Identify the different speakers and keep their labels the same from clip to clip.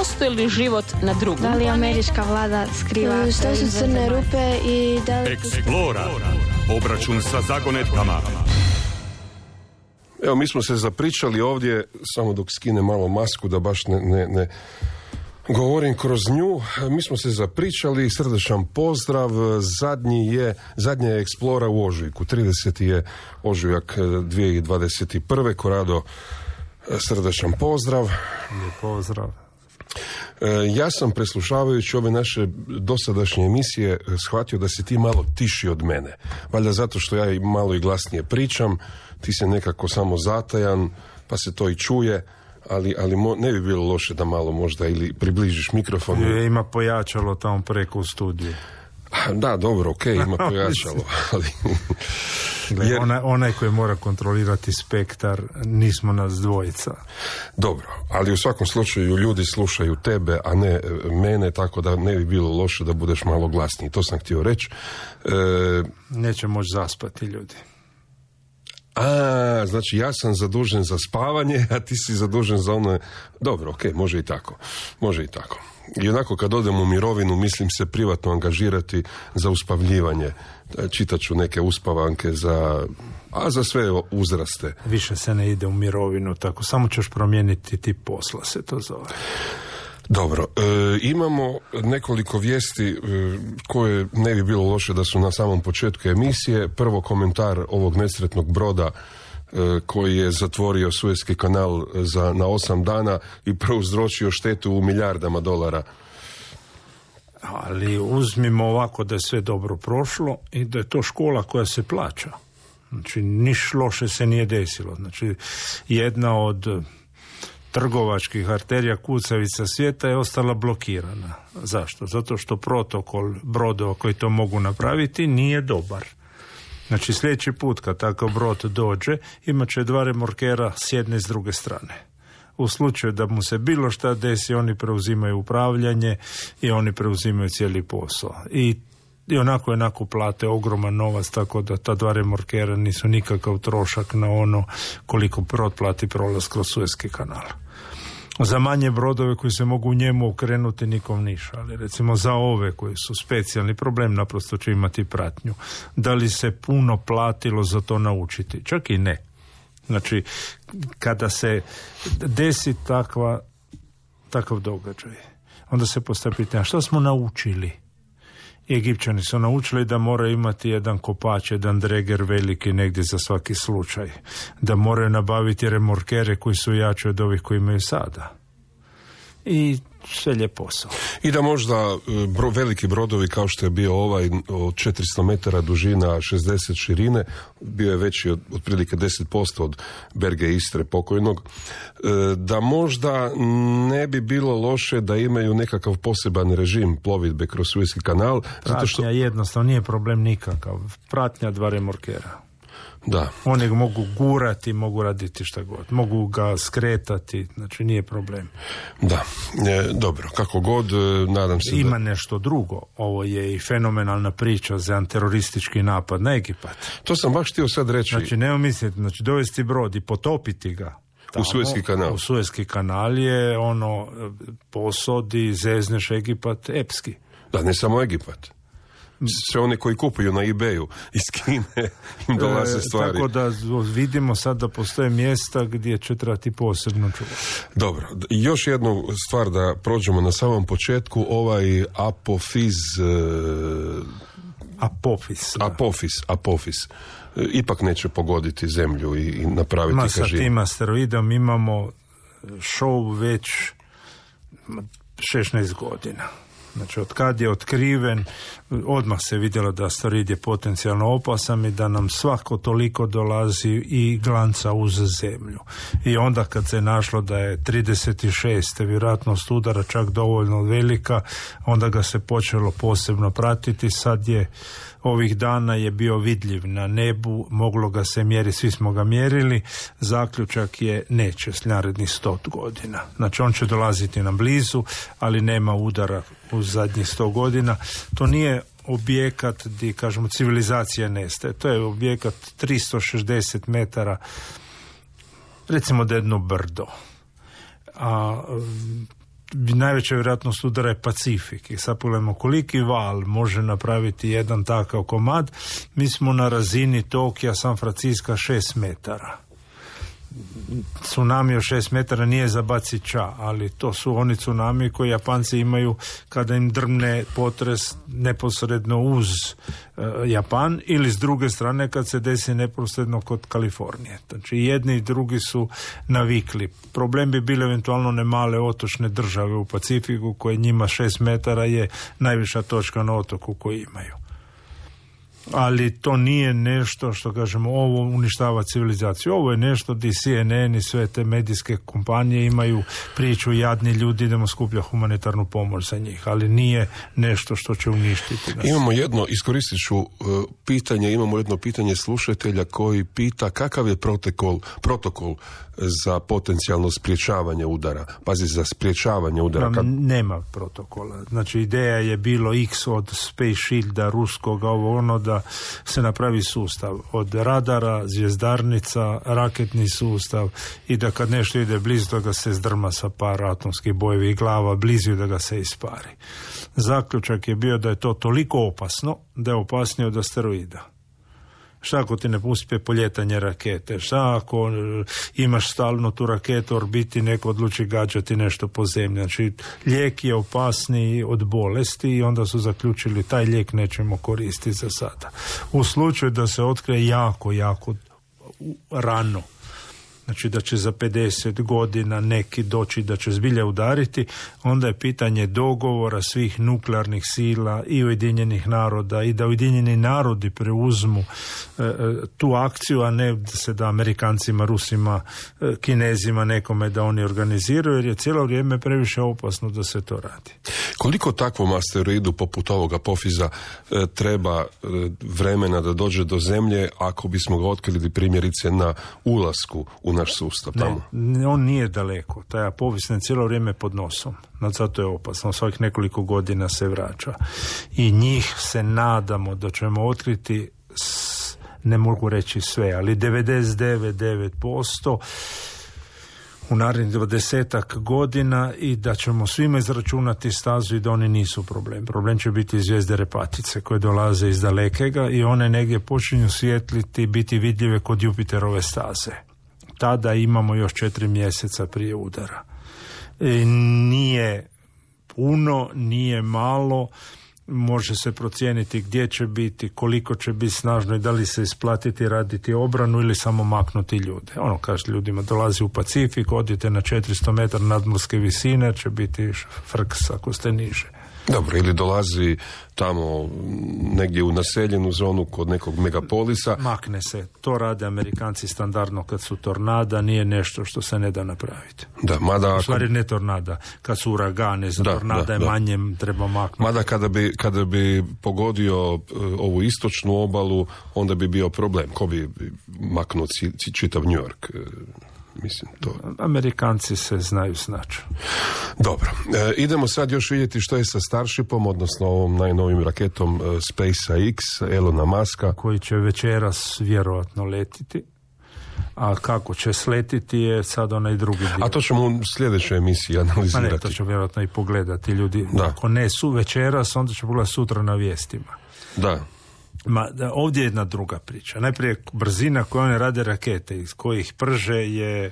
Speaker 1: postoji li život na drugom?
Speaker 2: Da li američka vlada skriva?
Speaker 3: Što su crne rupe i da li...
Speaker 4: Eksplora. Obračun sa zagonetkama.
Speaker 5: Evo, mi smo se zapričali ovdje, samo dok skine malo masku da baš ne govorim kroz nju. Mi smo se zapričali, srdečan pozdrav. Zadnja je Eksplora u ožujku. 30. je ožujak 2021. Korado, srdečan pozdrav.
Speaker 6: Pozdrav.
Speaker 5: Ja sam, preslušavajući ove naše dosadašnje emisije, shvatio da si ti malo tiši od mene. Valjda zato što ja malo i glasnije pričam, ti si nekako samo zatajan, pa se to i čuje, ali ne bi bilo loše da malo možda ili približiš mikrofon.
Speaker 6: Ima pojačalo tamo preko u studiju.
Speaker 5: Da, dobro, okej, ima pojačalo, ali...
Speaker 6: Onaj koji mora kontrolirati spektar, nismo nas dvojica.
Speaker 5: Dobro, ali u svakom slučaju ljudi slušaju tebe, a ne mene, tako da ne bi bilo loše da budeš malo glasniji. To sam htio reći.
Speaker 6: Neće moći zaspati ljudi.
Speaker 5: Znači ja sam zadužen za spavanje, a ti si zadužen za ono... Dobro, okej, može i tako. I onako kad odem u mirovinu, mislim se privatno angažirati za uspavljivanje. Čitat ću neke uspavanke za sve uzraste.
Speaker 6: Više se ne ide u mirovinu, tako samo ćeš promijeniti tip posla, se to zove.
Speaker 5: Dobro, imamo nekoliko vijesti koje ne bi bilo loše da su na samom početku emisije. Prvo, komentar ovog nesretnog broda koji je zatvorio Suezki kanal na 8 dana i prouzročio štetu u milijardama dolara.
Speaker 6: Ali uzmimo ovako da je sve dobro prošlo i da je to škola koja se plaća. Znači, niš loše se nije desilo. Znači, jedna od trgovačkih arterija kucavica svijeta je ostala blokirana. Zašto? Zato što protokol brodova koji to mogu napraviti nije dobar. Znači, sljedeći put kad takav brod dođe, imat će 2 remorkera s jedne i s druge strane. U slučaju da mu se bilo šta desi, oni preuzimaju upravljanje i oni preuzimaju cijeli posao. I onako plate ogroman novac, tako da ta 2 remorkera nisu nikakav trošak na ono koliko brod plati prolaz kroz Suezki kanal. Za manje brodove koji se mogu u njemu okrenuti nikom ništa, ali recimo za ove koji su specijalni problem, naprosto će imati pratnju. Da li se puno platilo za to naučiti? Čak i ne. Znači, kada se desi takav događaj, onda se postavlja pitanje, što smo naučili? Egipćani su naučili da moraju imati jedan kopač, jedan dreger veliki negdje za svaki slučaj. Da moraju nabaviti remorkere koji su jači od ovih koji imaju sada. I sve lijep posao.
Speaker 5: I da možda veliki brodovi kao što je bio ovaj od 400 metara dužina, 60 širine, bio je veći otprilike 10% od Berge Istre pokojnog, da možda ne bi bilo loše da imaju nekakav poseban režim plovidbe kroz Suezki kanal.
Speaker 6: Pratnja što... jednostavno nije problem nikakav. Pratnja 2 remorkera.
Speaker 5: Da.
Speaker 6: Oni ga mogu gurati, mogu raditi šta god. Mogu ga skretati, znači nije problem.
Speaker 5: Da, dobro, kako god, nadam se
Speaker 6: ima nešto drugo. Ovo je i fenomenalna priča za teroristički napad na Egipat.
Speaker 5: To sam baš htio sad reći.
Speaker 6: Znači, nema misliti, znači dovesti brod i potopiti ga. Tamo,
Speaker 5: u Suezki kanal.
Speaker 6: U Suezki kanal je posodi, zezneš Egipat, epski.
Speaker 5: Da, ne samo Egipat. Sve one koji kupuju na eBayu iz Kine im dolaze stvari.
Speaker 6: Tako da vidimo sad da postoje mjesta gdje će trebati posebno čuvati.
Speaker 5: Dobro, još jednu stvar da prođemo na samom početku, ovaj Apofis ipak neće pogoditi zemlju i napraviti kažin.
Speaker 6: Sa tim asteroidom imamo show već 16 godina. Znači, od kad je otkriven, odmah se vidjelo da asteroid je potencijalno opasan i da nam svako toliko dolazi i glanca uz zemlju. I onda kad se našlo da je 36. vjerojatnost udara čak dovoljno velika, onda ga se počelo posebno pratiti. Sad je, ovih dana je bio vidljiv na nebu, moglo ga se mjeriti, svi smo ga mjerili. Zaključak je neće s narednih 100 godina. Znači, on će dolaziti nam blizu, ali nema udara u zadnjih 100 godina. To nije objekat gdje, kažemo, civilizacija nestaje. To je objekat 360 metara, recimo da jedno brdo. A najveća vjerojatnost udara je Pacifik. I sad pogledamo koliki val može napraviti jedan takav komad. Mi smo na razini Tokija, San Francisco 6 metara. Tsunami od 6 metara nije za bacit ča, ali to su oni tsunami koji Japanci imaju kada im drmne potres neposredno uz Japan, ili s druge strane kad se desi neposredno kod Kalifornije. Znači jedni i drugi su navikli. Problem bi bile eventualno ne male otočne države u Pacifiku koje njima 6 metara je najviša točka na otoku koji imaju. Ali to nije nešto što kažemo ovo uništava civilizaciju. Ovo je nešto gdje CNN i sve te medijske kompanije imaju priču jadni ljudi, idemo skuplja humanitarnu pomoć za njih, ali nije nešto što će uništiti nas.
Speaker 5: Imamo jedno, iskoristit ću pitanje, imamo jedno pitanje slušatelja koji pita kakav je protokol za potencijalno sprječavanje udara. Pazi, za sprječavanje udara.
Speaker 6: Nema protokola. Znači ideja je bilo X od Space Shielda, ruskoga, ono da se napravi sustav. Od radara, zvjezdarnica, raketni sustav i da kad nešto ide blizu da ga se zdrma sa par atomskih bojevih glava, blizu da ga se ispari. Zaključak je bio da je to toliko opasno da je opasnije od asteroida. Šta ako ti ne pusti poljetanje rakete? Šta ako imaš stalno tu raketu orbiti, neko odluči gađati nešto po zemlji? Znači, lijek je opasniji od bolesti i onda su zaključili taj lijek nećemo koristiti za sada. U slučaju da se otkrije jako rano, znači da će za 50 godina neki doći da će zbilja udariti, onda je pitanje dogovora svih nuklearnih sila i Ujedinjenih naroda i da Ujedinjeni narodi preuzmu tu akciju, a ne da Amerikancima, Rusima, Kinezima, nekome da oni organiziraju, jer je cijelo vrijeme previše opasno da se to radi.
Speaker 5: Koliko takvom asteroidu poput ovoga Apofiza treba vremena da dođe do Zemlje ako bismo ga otkrili primjerice na ulasku u naš sustav tamo?
Speaker 6: Ne, on nije daleko. Taj Apophis je cijelo vrijeme pod nosom. Zato je opasno. Svakih nekoliko godina se vraća. I njih se nadamo da ćemo otkriti, ne mogu reći sve, ali 99% u narednih 20 godina i da ćemo svima izračunati stazu i da oni nisu problem. Problem će biti zvijezde repatice koje dolaze iz dalekega i one negdje počinju svijetliti, biti vidljive kod Jupiterove staze. Tada imamo još 4 mjeseca prije udara. Nije puno, nije malo, može se procijeniti gdje će biti, koliko će biti snažno i da li se isplatiti raditi obranu ili samo maknuti ljude. Ono kaže ljudima, dolazi u Pacifik, odite na 400 metara nadmorske visine, će biti frks ako ste niže.
Speaker 5: Dobro, ili dolazi tamo negdje u naseljenu zonu kod nekog megapolisa.
Speaker 6: Makne se. To rade Amerikanci standardno kad su tornada, nije nešto što se ne da napraviti.
Speaker 5: Da, mada...
Speaker 6: U stvari ne tornada, kad su uragane, za tornada je manje, treba maknuti.
Speaker 5: Mada kada bi pogodio ovu istočnu obalu, onda bi bio problem. Ko bi maknuo čitav New York? Mislim, to... Amerikanci
Speaker 6: se znaju snaći.
Speaker 5: Dobro. Idemo sad još vidjeti što je sa Starshipom, odnosno ovom najnovim raketom SpaceX, Elona Muska.
Speaker 6: Koji će večeras vjerojatno letiti. A kako će sletiti je sad onaj drugi dio.
Speaker 5: A to ćemo u sljedećoj emisiji analizirati.
Speaker 6: Ne, to će vjerojatno i pogledati ljudi. Da. Ako ne su večeras, onda će pogledati sutra na vijestima.
Speaker 5: Da.
Speaker 6: Ovdje je jedna druga priča. Najprije brzina koju one rade rakete iz kojih prže je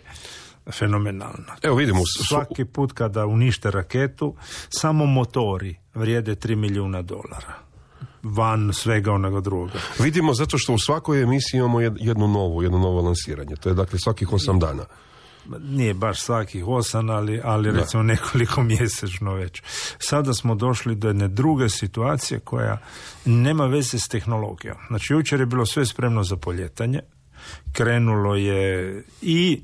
Speaker 6: fenomenalna.
Speaker 5: Evo vidimo.
Speaker 6: Svaki put kada unište raketu, samo motori vrijede $3 milijuna. Van svega onoga drugoga.
Speaker 5: Vidimo zato što u svakoj emisiji imamo jedno novo lansiranje. To je dakle svakih 8 dana.
Speaker 6: Nije baš svakih 8, ali recimo nekoliko mjesečno već. Sada smo došli do jedne druge situacije koja nema veze s tehnologijom. Znači, jučer je bilo sve spremno za poljetanje. Krenulo je i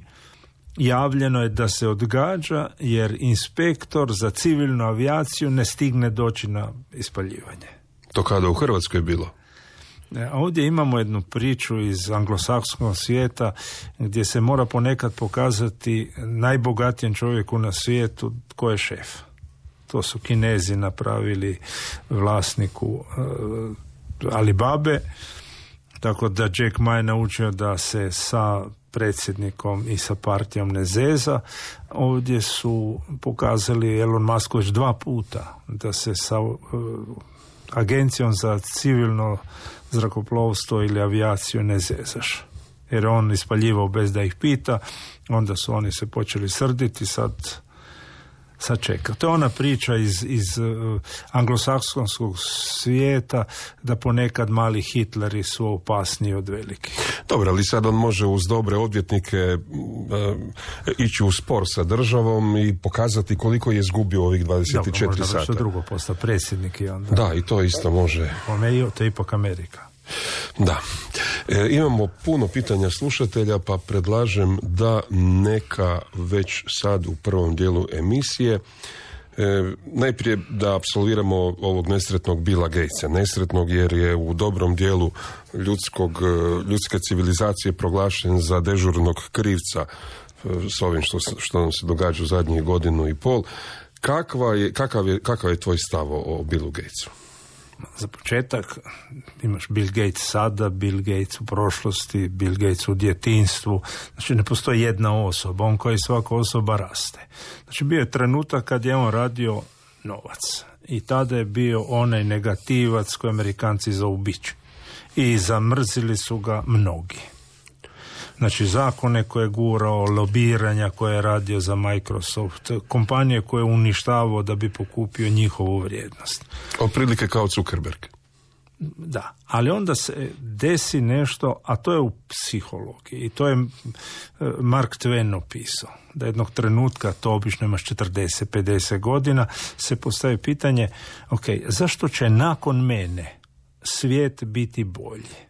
Speaker 6: javljeno je da se odgađa jer inspektor za civilnu avijaciju ne stigne doći na ispaljivanje.
Speaker 5: To kada u Hrvatskoj je bilo?
Speaker 6: Ovdje imamo jednu priču iz anglosaksonskog svijeta gdje se mora ponekad pokazati najbogatijem čovjeku na svijetu tko je šef. To su Kinezi napravili vlasniku Alibabe, tako da Jack Ma je naučio da se sa predsjednikom i sa partijom ne zeza. Ovdje su pokazali Elon Musk već 2 puta da se sa agencijom za civilno zrakoplovstvo ili avijaciju ne zezaš. Jer on ispaljivao bez da ih pita, onda su oni se počeli srditi, sad čeka. To je ona priča iz anglosaksonskog svijeta da ponekad mali Hitleri su opasniji od velikih.
Speaker 5: Dobro, ali sad on može uz dobre odvjetnike ići u spor sa državom i pokazati koliko je izgubio ovih 24
Speaker 6: Dobro, možda
Speaker 5: sata.
Speaker 6: Što drugo posta predsjednik i onda.
Speaker 5: Da, i to isto može.
Speaker 6: To je ipak Amerika.
Speaker 5: Da. Imamo puno pitanja slušatelja, pa predlažem da neka već sad u prvom dijelu emisije najprije da apsolviramo ovog nesretnog Billa Gatesa. Nesretnog jer je u dobrom dijelu ljudske civilizacije proglašen za dežurnog krivca s ovim što nam se događa u zadnjih 1.5 godina. Kakav je tvoj stav o Billu Gatesu?
Speaker 6: Za početak imaš Bill Gates sada, Bill Gates u prošlosti, Bill Gates u djetinjstvu. Znači ne postoji jedna osoba, on kao i svaka osoba raste. Znači bio je trenutak kad je on radio novac i tada je bio onaj negativac koji Amerikanci zovu bič. I zamrzili su ga mnogi. Znači zakone koje je gurao, lobiranja koje je radio za Microsoft, kompanije koje je uništavao da bi pokupio njihovu vrijednost.
Speaker 5: Otprilike kao Zuckerberg.
Speaker 6: Da, ali onda se desi nešto, a to je u psihologiji i to je Mark Twain opisao. Da jednog trenutka, to obično imaš 40-50 godina, se postavi pitanje, ok, zašto će nakon mene svijet biti bolji?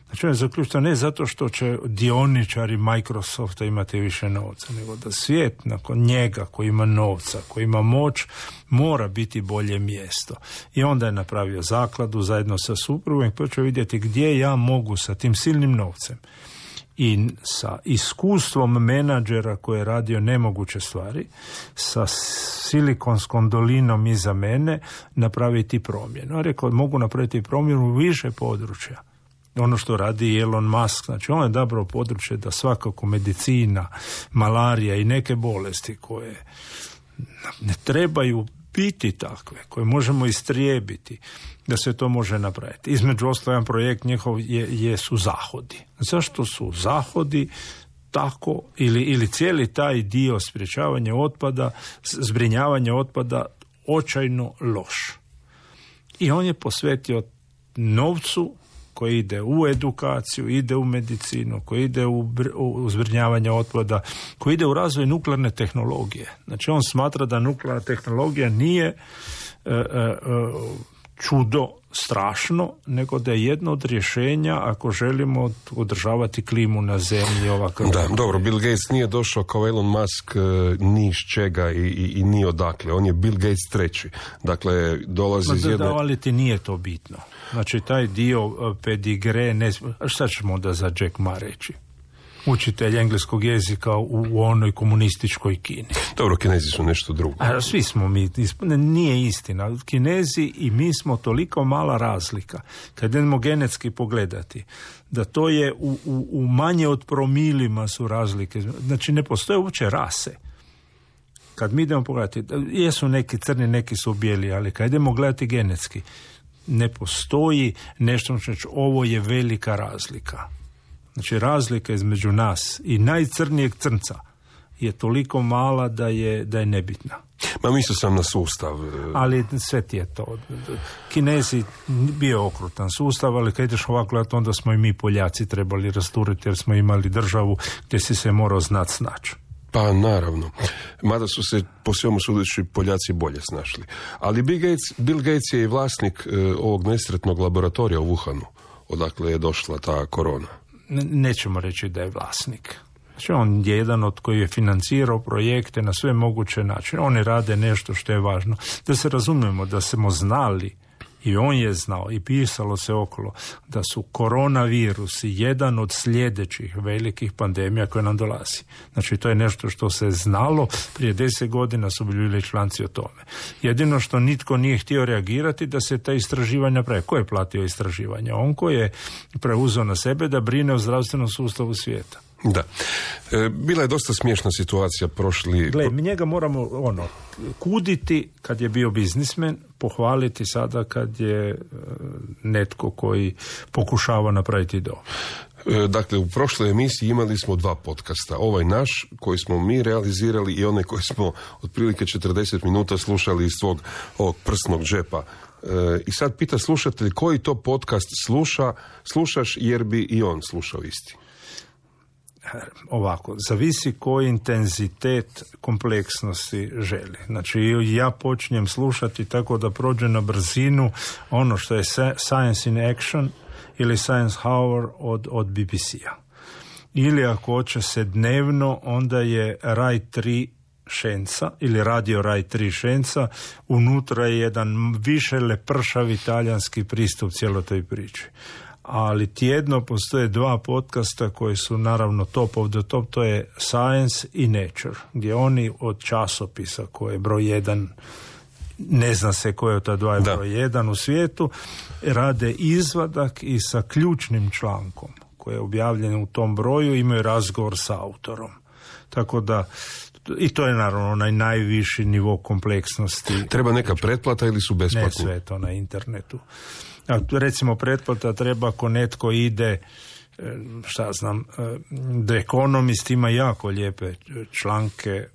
Speaker 6: Znači on je zaključio ne zato što će dioničari Microsofta imati više novca, nego da svijet nakon njega koji ima novca, koji ima moć, mora biti bolje mjesto. I onda je napravio zakladu zajedno sa suprugom i počeo vidjeti gdje ja mogu sa tim silnim novcem i sa iskustvom menadžera koji je radio nemoguće stvari, sa Silikonskom dolinom iza mene, napraviti promjenu. On rekao, mogu napraviti promjenu u više područja. Ono što radi Elon Musk, znači on je dobro područje da svakako medicina, malarija i neke bolesti koje ne trebaju biti takve, koje možemo istrijebiti, da se to može napraviti. Između ostalo, jedan projekt njihov su zahodi. Zašto su zahodi tako ili cijeli taj dio sprječavanja otpada, zbrinjavanja otpada očajno loš? I on je posvetio novcu koji ide u edukaciju, ide u medicinu, koji ide u zbrinjavanje otpada, koji ide u razvoj nuklearne tehnologije. Znači on smatra da nuklearna tehnologija nije čudo strašno, nego da je jedno od rješenja ako želimo održavati klimu na zemlji ovakav.
Speaker 5: Da, dobro, Bill Gates nije došao kao Elon Musk ni iz čega i ni odakle. On je Bill Gates treći. Dakle, dolazi iz jedne...
Speaker 6: Ali ti nije to bitno. Znači, taj dio pedigre, šta ćemo onda za Jack Ma reći? Učitelj engleskog jezika u onoj komunističkoj Kini.
Speaker 5: Dobro, Kinezi su nešto drugo.
Speaker 6: A svi smo mi, nije istina. Kinezi i mi smo toliko mala razlika. Kad idemo genetski pogledati, da to je u manje od promilima su razlike. Znači, ne postoje uopće rase. Kad mi idemo pogledati, jesu neki crni, neki su bijeli, ali kad idemo gledati genetski, ne postoji nešto, znači ovo je velika razlika. Znači razlika između nas i najcrnijeg crnca je toliko mala da je nebitna.
Speaker 5: Ma mislio sam na sustav.
Speaker 6: Ali sve ti je to. Kinezi bio okrutan sustav, ali kad ideš ovako gledati, onda smo i mi Poljaci trebali rasturiti jer smo imali državu gdje si se morao znati snaći.
Speaker 5: Pa naravno. Mada su se po svemu sudeći Poljaci bolje snašli. Ali Bill Gates je i vlasnik ovog nesretnog laboratorija u Wuhanu, odakle je došla ta korona.
Speaker 6: Nećemo reći da je vlasnik. Znači on je jedan od koji je financirao projekte na sve moguće načine. Oni rade nešto što je važno. Da se razumijemo, da smo znali i on je znao i pisalo se okolo da su koronavirusi jedan od sljedećih velikih pandemija koje nam dolazi. Znači to je nešto što se znalo, prije 10 godina su bili članci o tome. Jedino što nitko nije htio reagirati da se ta istraživanja prave. Ko je platio istraživanja? On koji je preuzeo na sebe da brine o zdravstvenom sustavu svijeta.
Speaker 5: Da. Bila je dosta smiješna situacija prošli...
Speaker 6: Gle, mi njega moramo kuditi kad je bio biznismen, pohvaliti sada kad je netko koji pokušava napraviti dobro.
Speaker 5: Dakle, u prošloj emisiji imali smo 2 podcasta. Ovaj naš, koji smo mi realizirali, i onaj koji smo otprilike 40 minuta slušali iz svog ovog prsnog džepa. I sad pita slušatelj koji to podcast slušaš jer bi i on slušao isti.
Speaker 6: Ovako, zavisi koji intenzitet kompleksnosti želi. Znači, ja počinjem slušati tako da prođe na brzinu ono što je Science in Action ili Science Hour od BBC-a. Ili ako hoće se dnevno, onda je Raj 3 Šenca ili Radio Raj 3 Šenca, unutra je jedan više lepršav italijanski pristup cijeloj toj priči. Ali tjedno postoje 2 podcasta koji su naravno top of the top, to je Science i Nature, gdje oni od časopisa koji je broj 1, ne zna se koji je od ta 2 je broj 1 u svijetu, rade izvadak i sa ključnim člankom koji je objavljen u tom broju imaju razgovor sa autorom. Tako da, i to je naravno onaj najviši nivo kompleksnosti.
Speaker 5: Treba neka pretplata ili su besplatni?
Speaker 6: Ne, sve to na internetu. Recimo pretplata treba ako netko ide, šta znam, The Economist ima jako lijepe članke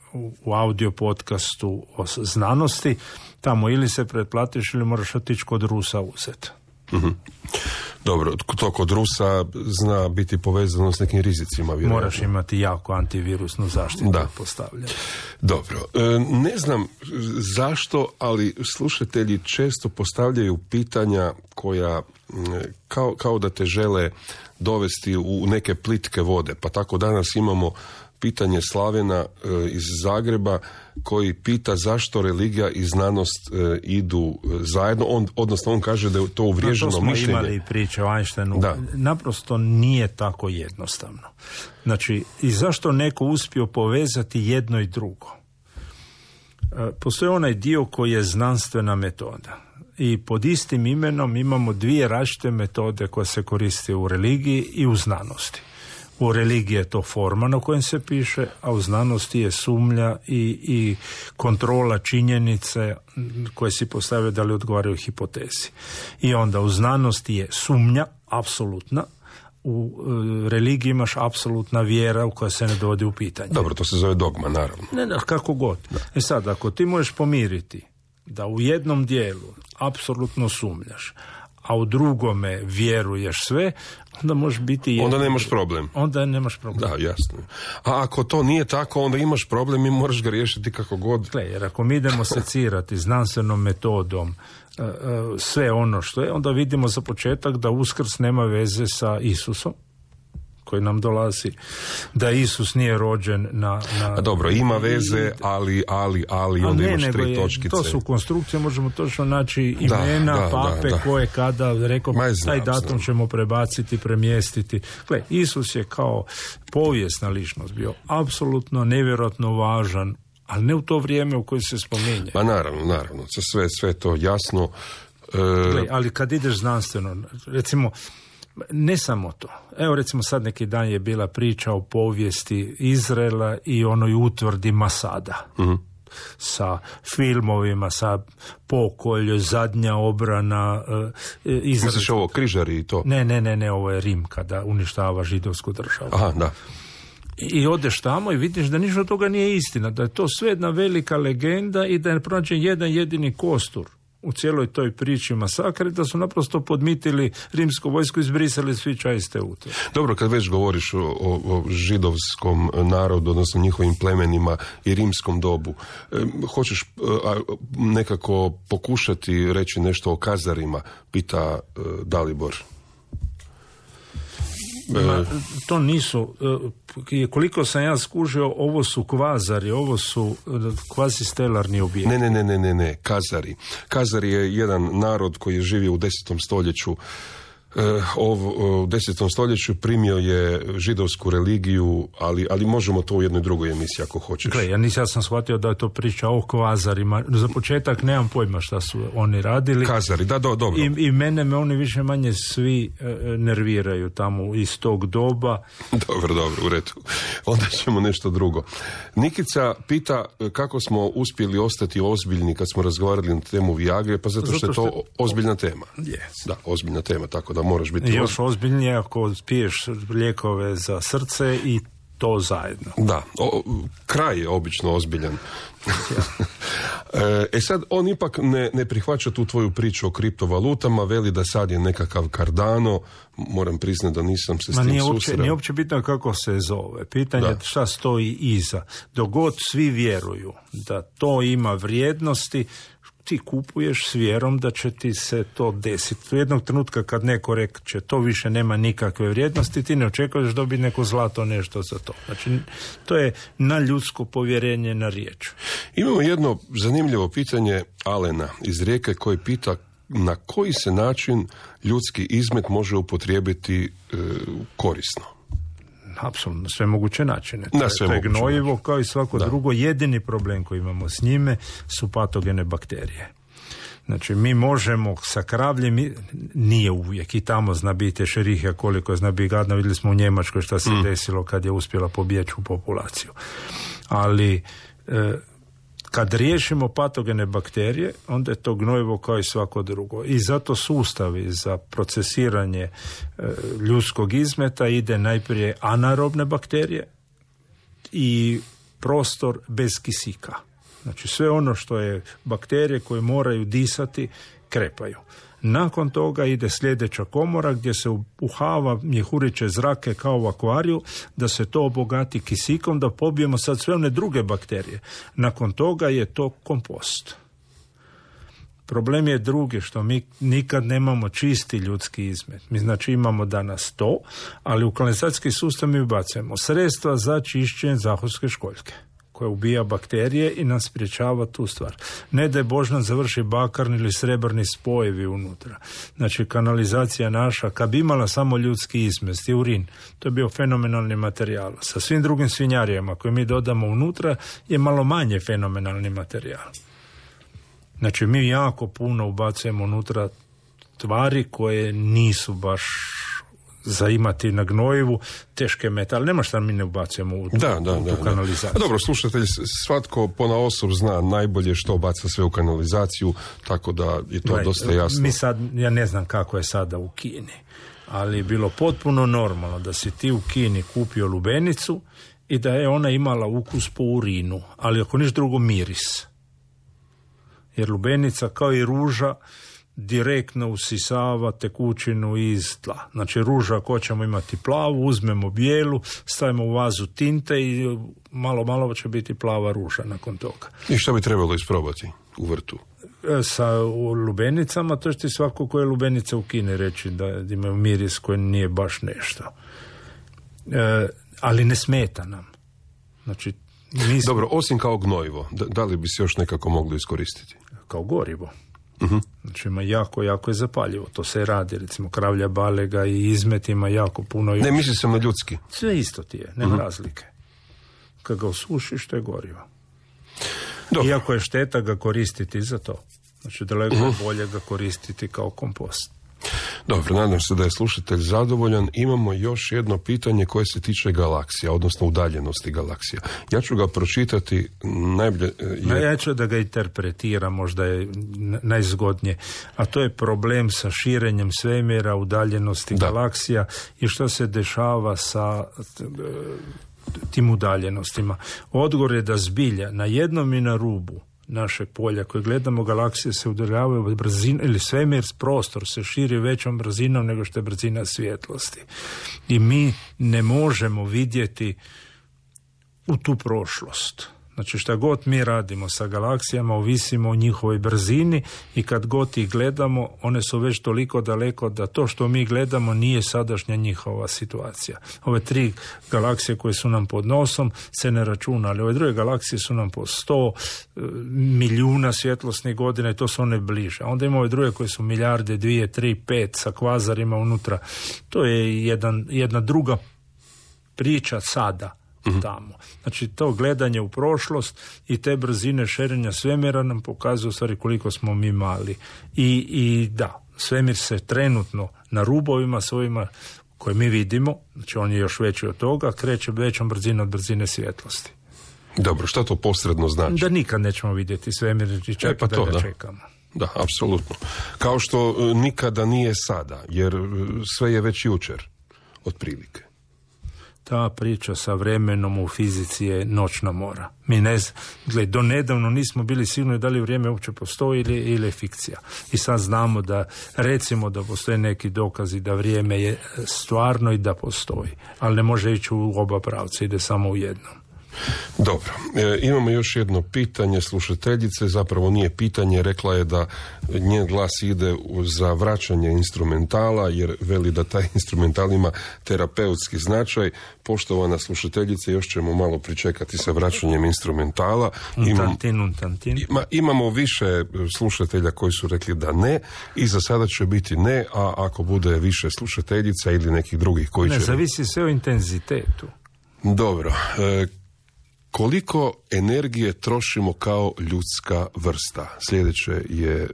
Speaker 6: u audio podcastu o znanosti, tamo ili se pretplatiš ili moraš otići kod Rusa uzeti.
Speaker 5: Mm-hmm. Dobro, to kod Rusa zna biti povezano s nekim rizicima, vjerojatno.
Speaker 6: Moraš imati jako antivirusnu zaštitu postavljenu.
Speaker 5: Dobro, ne znam zašto, ali slušatelji često postavljaju pitanja koja kao da te žele dovesti u neke plitke vode, pa tako danas imamo pitanje Slavena iz Zagreba koji pita zašto religija i znanost idu zajedno. Odnosno on kaže da je to uvriježeno mišljenje. To smo
Speaker 6: imali priče o Einsteinu. Naprosto nije tako jednostavno. Znači, i zašto neko uspio povezati jedno i drugo? Postoji onaj dio koji je znanstvena metoda. I pod istim imenom imamo 2 različite metode koje se koriste u religiji i u znanosti. U religiji je to forma na kojem se piše, a u znanosti je sumnja i kontrola činjenice koje si postavljaju da li odgovaraju hipotezi. I onda u znanosti je sumnja, apsolutna, u religiji imaš apsolutna vjera u koja se ne dovodi u pitanje.
Speaker 5: Dobro, to se zove dogma, naravno.
Speaker 6: Ne, kako god. Da. Sad, ako ti možeš pomiriti da u jednom dijelu apsolutno sumnjaš, a u drugome vjeruješ sve, onda možeš biti...
Speaker 5: Onda nemaš problem.
Speaker 6: Onda nemaš problem.
Speaker 5: Da, jasno. A ako to nije tako, onda imaš problem i moraš ga riješiti kako god.
Speaker 6: Gle, jer ako mi idemo secirati znanstvenom metodom sve ono što je, onda vidimo za početak da Uskrs nema veze sa Isusom, koji nam dolazi, da Isus nije rođen na...
Speaker 5: A dobro, ima veze, ali onda imaš 3 točkice.
Speaker 6: To su konstrukcije, možemo točno naći imena, pape, koje kada, rekao, taj datum ćemo prebaciti, premjestiti. Gle, Isus je kao povijesna ličnost bio apsolutno nevjerojatno važan, ali ne u to vrijeme u koje se spominje.
Speaker 5: Pa naravno, sve to jasno.
Speaker 6: Gle, ali kad ideš znanstveno, recimo, ne samo to. Evo recimo sad neki dan je bila priča o povijesti Izraela i onoj utvrdi Masada. Mm-hmm. Sa filmovima, sa pokolj, zadnja obrana Izraela.
Speaker 5: Misliš ovo, križari i to?
Speaker 6: Ne, ovo je Rim kada uništava židovsku državu.
Speaker 5: Aha, da.
Speaker 6: I odeš tamo i vidiš da ništa od toga nije istina, da je to sve jedna velika legenda i da je pronađen jedan jedini kostur u cijeloj toj priči masakre, da su naprosto podmitili rimsku vojsku i izbrisali svi čaiste ute.
Speaker 5: Dobro, kad već govoriš o židovskom narodu, odnosno njihovim plemenima i rimskom dobu, hoćeš nekako pokušati reći nešto o kazarima, pita Dalibor.
Speaker 6: To nisu, koliko sam ja skužio, ovo su kvazari, ovo su kvazistelarni objekti.
Speaker 5: Ne, kazari. Kazari je jedan narod koji je živio u 10. stoljeću u 10. stoljeću primio je židovsku religiju, ali možemo to u jednoj drugoj emisiji ako hoćeš.
Speaker 6: Gle, ja sam shvatio da je to priča o kvazarima. Za početak nemam pojma šta su oni radili.
Speaker 5: Kazari, da, dobro.
Speaker 6: I me oni više manje svi nerviraju tamo iz tog doba.
Speaker 5: Dobro, u redu. Onda ćemo nešto drugo. Nikica pita kako smo uspjeli ostati ozbiljni kad smo razgovarali na temu Viagre, pa zato što je to ozbiljna tema.
Speaker 6: Yes.
Speaker 5: Da, ozbiljna tema, tako da moraš biti...
Speaker 6: Još ozbiljnije ako piješ lijekove za srce i to zajedno.
Speaker 5: Da, kraj je obično ozbiljan. Sad, on ipak ne prihvaća tu tvoju priču o kriptovalutama, veli da sad je nekakav Cardano, moram priznati da nisam se s tim susreo.
Speaker 6: Nije uopće bitno kako se zove, pitanje je šta stoji iza. Dok god svi vjeruju da to ima vrijednosti, ti kupuješ s vjerom da će ti se to desiti. U jednog trenutka kad neko reče to više nema nikakve vrijednosti, ti ne očekuješ dobiti neko zlato nešto za to. Znači, to je na ljudsko povjerenje na riječ.
Speaker 5: Imamo jedno zanimljivo pitanje Alena iz Rijeke koji pita na koji se način ljudski izmet može upotrijebiti korisno.
Speaker 6: Apsolutno, sve moguće načine.
Speaker 5: To je
Speaker 6: gnojivo kao i svako drugo. Jedini problem koji imamo s njime su patogene bakterije. Znači, mi možemo sa kravljem, nije uvijek, i tamo zna biti šerihija koliko zna biti gadna, vidjeli smo u Njemačkoj šta se desilo kad je uspjela pobjeći u populaciju. Ali kad riješimo patogene bakterije, onda je to gnojivo kao i svako drugo. I zato sustavi za procesiranje ljudskog izmeta ide najprije anaerobne bakterije i prostor bez kisika. Znači sve ono što je bakterije koje moraju disati, krepaju. Nakon toga ide sljedeća komora gdje se uhava mjehuriće zrake kao u akvariju, da se to obogati kisikom, da pobijemo sad sve one druge bakterije. Nakon toga je to kompost. Problem je drugi, što mi nikad nemamo čisti ljudski izmet. Mi znači imamo danas to, ali u kanalizacijski sustav mi ubacujemo sredstva za čišćenje zahodske školjke, koja ubija bakterije i nas sprječava tu stvar. Ne da je Bož nam završi bakarni ili srebrni spojevi unutra. Znači, kanalizacija naša, kad bi imala samo ljudski izmest i urin, to je bio fenomenalni materijal. Sa svim drugim svinjarijama koje mi dodamo unutra je malo manje fenomenalni materijal. Znači, mi jako puno ubacujemo unutra tvari koje nisu baš za imati na gnojivu teške metale. Nema šta mi ne ubacujemo u tu kanalizaciju.
Speaker 5: Dobro, slušatelj, svatko ponaosob zna najbolje što baca sve u kanalizaciju, tako da je to dosta jasno.
Speaker 6: Mi sad, ja ne znam kako je sada u Kini, ali je bilo potpuno normalno da si ti u Kini kupio lubenicu i da je ona imala ukus po urinu, ali ako niš drugo miris. Jer lubenica kao i ruža direktno usisava tekućinu iz tla. Znači ruža ako ćemo imati plavu, uzmemo bijelu, stavimo u vazu tinte i malo će biti plava ruža nakon toga.
Speaker 5: I što bi trebalo isprobati u vrtu?
Speaker 6: Sa lubenicama, to će ti svako koje lubenice u Kini reći da imaju miris koji nije baš nešto. Ali ne smeta nam. Znači,
Speaker 5: Dobro, osim kao gnojivo, da li bi se još nekako moglo iskoristiti?
Speaker 6: Kao gorivo. Znači ima jako je zapaljivo. To se radi, recimo kravlja balega i izmet ima jako puno.
Speaker 5: Ne, mislim sam na ljudski.
Speaker 6: Sve isto ti je, nema razlike. Kad ga osušiš, to je gorivo.
Speaker 5: Dobro.
Speaker 6: Iako je šteta ga koristiti za to. Znači daleko je bolje ga koristiti kao kompost.
Speaker 5: Dobro, nadam se da je slušatelj zadovoljan. Imamo još jedno pitanje koje se tiče galaksija, odnosno udaljenosti galaksija. Ja ću ga pročitati najbolje.
Speaker 6: Ja ću da ga interpretiram, možda je najzgodnije. A to je problem sa širenjem svemira, udaljenosti galaksija i što se dešava sa tim udaljenostima. Odgovor je da zbilja na jednom i na rubu našeg polja koje gledamo, galaksije se udaljavaju brzina, ili svemir, prostor se širi većom brzinom nego što je brzina svjetlosti. I mi ne možemo vidjeti u tu prošlost. Znači šta god mi radimo sa galaksijama, ovisimo o njihovoj brzini i kad god ih gledamo, one su već toliko daleko da to što mi gledamo nije sadašnja njihova situacija. Ove 3 galaksije koje su nam pod nosom se ne računa, ali ove druge galaksije su nam po 100 milijuna svjetlosnih godina i to su one bliže. A onda imamo ove druge koje su milijarde, 2, 3, 5 sa kvazarima unutra. To je jedna druga priča sada. Tamo. Znači to gledanje u prošlost i te brzine širenja svemira nam pokazuju u stvari koliko smo mi mali. I da, svemir se trenutno na rubovima svojima koje mi vidimo, znači on je još veći od toga, kreće većom brzinom od brzine svjetlosti.
Speaker 5: Dobro, šta to posredno znači?
Speaker 6: Da nikad nećemo vidjeti svemir i čak da ga čekamo.
Speaker 5: Da, apsolutno. Kao što nikada nije sada, jer sve je već jučer, otprilike.
Speaker 6: Ta priča sa vremenom u fizici je noćna mora. Mi do nedavno nismo bili sigurni da li vrijeme uopće postoji ili je fikcija. I sad znamo da, recimo da postoje neki dokazi da vrijeme je stvarno i da postoji. Ali ne može ići u oba pravca, ide samo u jednom.
Speaker 5: Dobro, imamo još jedno pitanje slušateljice, zapravo nije pitanje, rekla je da njen glas ide za vraćanje instrumentala, jer veli da taj instrumental ima terapeutski značaj. Poštovana slušateljice, još ćemo malo pričekati sa vraćanjem instrumentala. Imamo više slušatelja koji su rekli da ne i za sada će biti ne, a ako bude više slušateljica ili nekih drugih koji će...
Speaker 6: Ne, zavisi sve o intenzitetu.
Speaker 5: Dobro, koliko energije trošimo kao ljudska vrsta? Sljedeće je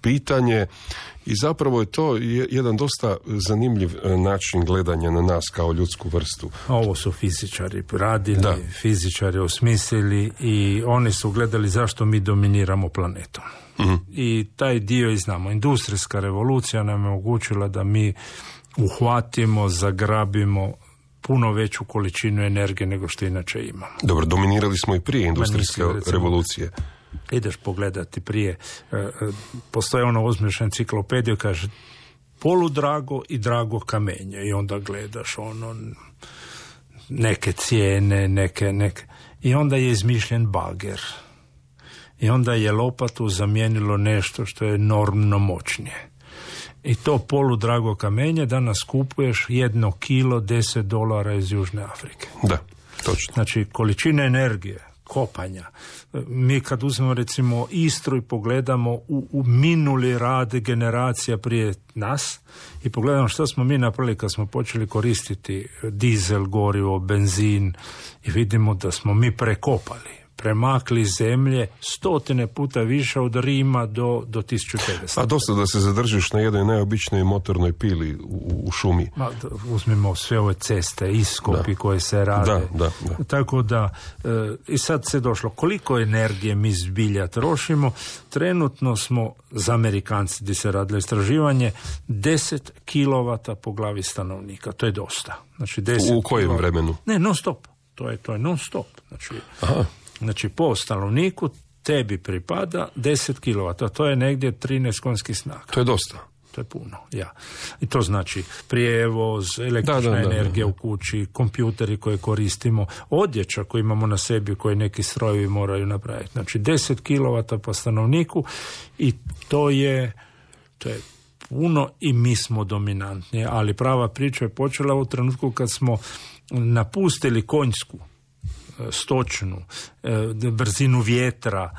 Speaker 5: pitanje i zapravo je to jedan dosta zanimljiv način gledanja na nas kao ljudsku vrstu.
Speaker 6: Ovo su fizičari radili, fizičari osmislili i oni su gledali zašto mi dominiramo planetom. I taj dio i znamo. Industrijska revolucija nam je omogućila da mi uhvatimo, zagrabimo puno veću količinu energije nego što inače imamo.
Speaker 5: Dobro, dominirali smo i prije industrijske revolucije.
Speaker 6: Ideš pogledati prije, postoje ono uzmeš enciklopediju, kaže poludrago i drago kamenje i onda gledaš ono neke cijene, neke i onda je izmišljen bager. I onda je lopatu zamijenilo nešto što je enormno moćnije. I to poludrago kamenje danas kupuješ 1 kilo $10 iz Južne Afrike.
Speaker 5: Da, točno.
Speaker 6: Znači, količina energije, kopanja. Mi kad uzmemo recimo Istru i pogledamo u minuli rad generacija prije nas i pogledamo što smo mi napravili kad smo počeli koristiti dizel, gorivo, benzin i vidimo da smo mi prekopali. Premakli zemlje 100 puta više od Rima do 1500.
Speaker 5: A dosta da se zadržiš na jednoj najobičnoj motornoj pili u šumi.
Speaker 6: Uzmimo sve ove ceste, iskopi koje se rade.
Speaker 5: Da.
Speaker 6: Tako da, i sad se došlo, koliko energije mi zbilja trošimo. Trenutno smo, za Amerikanci gdje se radilo istraživanje, 10 kilovata po glavi stanovnika. To je dosta. Znači, 10
Speaker 5: u kojem vremenu?
Speaker 6: Ne, non stop. To je non stop. Znači, po stanovniku tebi pripada 10 kilovata. To je negdje 13 konjskih snaga.
Speaker 5: To je dosta.
Speaker 6: To je puno, I to znači prijevoz, električna energija u kući, kompjuteri koje koristimo, odjeća koju imamo na sebi koje neki strojevi moraju napraviti. Znači, 10 kilovata po stanovniku i to je puno i mi smo dominantni. Ali prava priča je počela u trenutku kad smo napustili konjsku, stočnu, brzinu vjetra,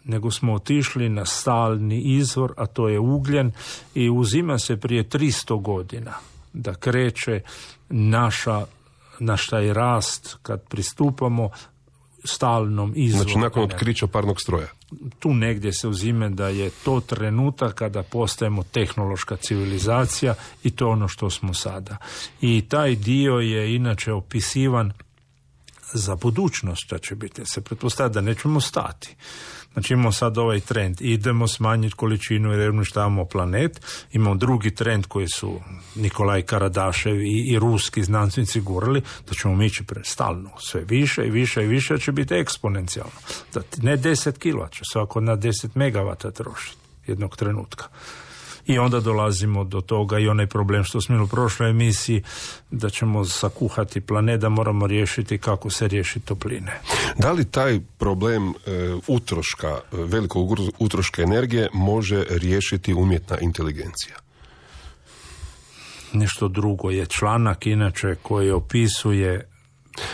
Speaker 6: nego smo otišli na stalni izvor, a to je ugljen i uzima se prije 300 godina da kreće naš taj rast kad pristupamo stalnom izvoru.
Speaker 5: Znači nakon otkrića parnog stroja.
Speaker 6: Tu negdje se uzime da je to trenutak kada postajemo tehnološka civilizacija i to ono što smo sada. I taj dio je inače opisivan za budućnost što će biti. Se pretpostavlja da nećemo stati. Znači imamo sad ovaj trend. Idemo smanjiti količinu jer uništavamo planet. Imamo drugi trend koji su Nikolaj Karadašev i ruski znanstvenici gurali da ćemo mi ići stalno. Sve više i više i više će biti eksponencijalno. Da ne 10 kW, će svako na 10 megavata trošiti jednog trenutka. I onda dolazimo do toga i onaj problem što smo imali u prošloj emisiji, da ćemo zakuhati planet, da moramo riješiti kako se riješi topline.
Speaker 5: Da li taj problem utroška, velikog utroška energije može riješiti umjetna inteligencija?
Speaker 6: Nešto drugo je članak inače koji opisuje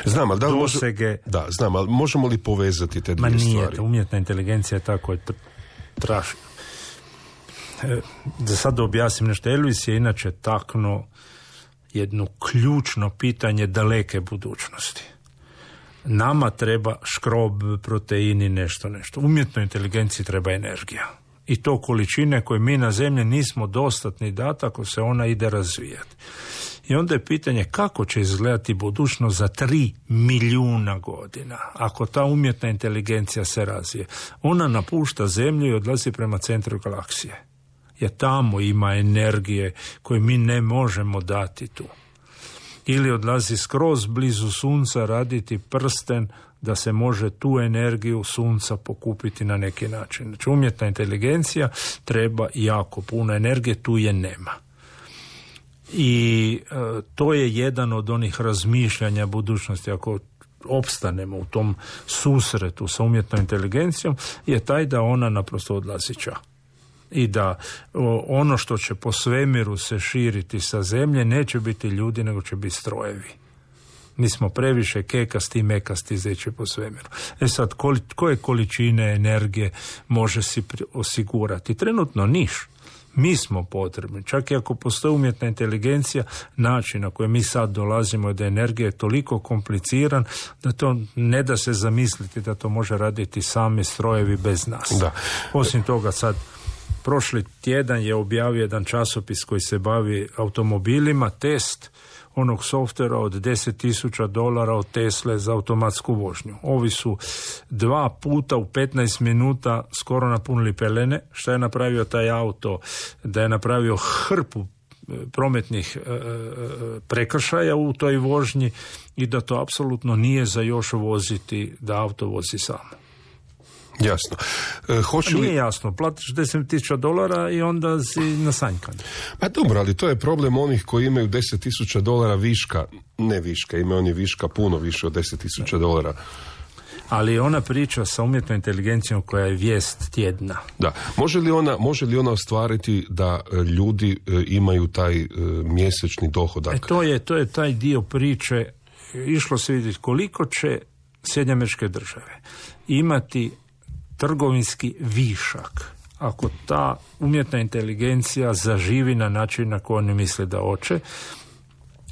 Speaker 5: znam, ali da li
Speaker 6: dosege...
Speaker 5: Da, znam, ali možemo li povezati te dvije stvari?
Speaker 6: Ma nije, umjetna inteligencija je tako trašna. Da sad objasnim nešto, Elvis je inače taknuo jedno ključno pitanje daleke budućnosti. Nama treba škrob, proteini, nešto. Umjetnoj inteligenciji treba energija. I to količine koje mi na zemlji nismo dostatni dati ako se ona ide razvijati. I onda je pitanje kako će izgledati budućnost za 3 milijuna godina ako ta umjetna inteligencija se razvije. Ona napušta zemlju i odlazi prema centru galaksije. Jer tamo ima energije koje mi ne možemo dati tu. Ili odlazi skroz blizu sunca raditi prsten da se može tu energiju sunca pokupiti na neki način. Znači umjetna inteligencija treba jako puno energije, tu je nema. I to je jedan od onih razmišljanja budućnosti, ako opstanemo u tom susretu sa umjetnom inteligencijom, je taj da ona naprosto odlazi ča. I da ono što će po svemiru se širiti sa zemlje neće biti ljudi, nego će biti strojevi. Mi smo previše kekasti i mekasti zeći po svemiru. Sad, koje količine energije može si osigurati? Trenutno niš. Mi smo potrebni. Čak i ako postoji umjetna inteligencija, način na koji mi sad dolazimo da energija je toliko kompliciran da to ne da se zamisliti da to može raditi sami strojevi bez nas.
Speaker 5: Da.
Speaker 6: Osim toga sad, prošli tjedan je objavio jedan časopis koji se bavi automobilima, test onog softvera od $10,000 od Tesle za automatsku vožnju. Ovi su 2 puta u 15 minuta skoro napunili pelene. Šta je napravio taj auto? Da je napravio hrpu prometnih prekršaja u toj vožnji i da to apsolutno nije za još voziti, da auto vozi samo.
Speaker 5: Jasno.
Speaker 6: Nije jasno, platiš $10,000 i onda si nasanjkan.
Speaker 5: Pa dobro, ali to je problem onih koji imaju $10,000 viška, ne viška, imaju oni viška puno više od $10,000.
Speaker 6: Ali ona priča sa umjetnom inteligencijom koja je vijest tjedna.
Speaker 5: Da. Može li ona ostvariti da ljudi imaju taj mjesečni dohodak?
Speaker 6: To je taj dio priče. Išlo se vidjeti koliko će SAD imati trgovinski višak ako ta umjetna inteligencija zaživi na način na koji oni misle da hoće.